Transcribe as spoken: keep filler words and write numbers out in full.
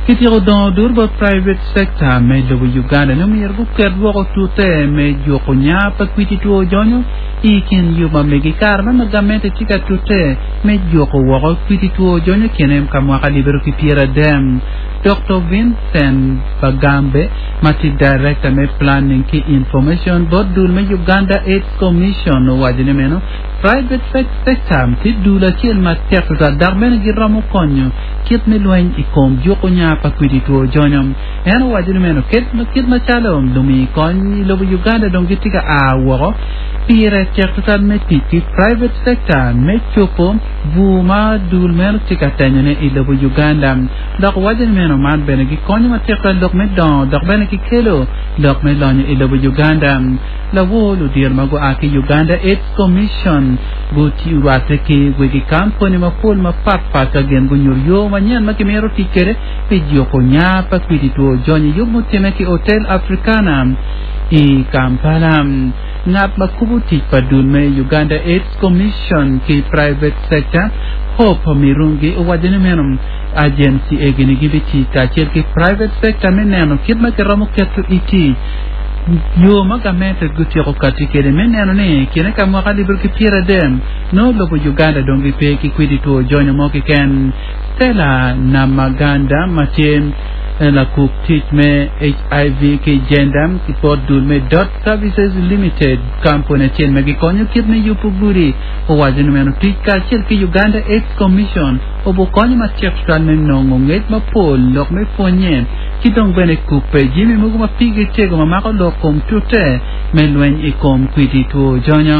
Kityeko dongo dur bot private sector me lobo Uganda ni omyero guket woko tute me juko nya pa kwidi two jonyo i kin yub ma megi kare ma gamente tye ka tute me juko woko kwidi two jonyo kine ka mwaka alip aryo ki pyera adek. Dr. Vincent Bagambe ma tye director me planning ki information bot dul me Uganda AIDS Commission owaco ni meno private sector tye dul acel matek tutwal dok bene giromo konyo kit me lweny i kom juko nya pa kwidi two jonyo. En owaco ni meno kit macalo lumi kony i lobo Uganda dong gitye ka a woko pire tek tutwal me tic ki private sector me copo bur ma dul meno tye ka tenyone i lobo Uganda. Dok waco ni meno man bene gikonyo matek tutwal lok me dongo dok bene gikelo lok me lonyo i lobo Uganda. Lawor ludiro ma gua ki Uganda AIDS Commission gurwatte ki wegi kampuni mapol mapatpat ka gin gunyuto yo manyen ma gimito tic kwede pi juko nya pa kwidi two jonyo yub mutimme ki Hotel Africana i Kampala. Ngat ma kubo tic pa dul me Uganda AIDS Commission ki private sector Hope Mirungi owaco ni meno agency egini gibitic kacel ki private sector me neno kit ma giromo keto i tic yo ma gamente gutyeko kati kwede me neno ni kine ka mwaka alip aryo ki pyera adek nongo lobo Uganda dong gipe ki kwidi two jonyo mo keken. Stella Namaganda ma tye lakub tic me H I V ki gender ki bot dul me Dot Services Limited kampuni acel ma gikonyo kit me yubo gudi owaco ni meno tic kacel ki Uganda AIDS Commission obokonyo matek tutwal me nongo ngec mapol lok me pwonye ki dong bene kupe jami mogo ma pigi tego ma mako lok kom tute me lweny i kom kwidi two jonyo.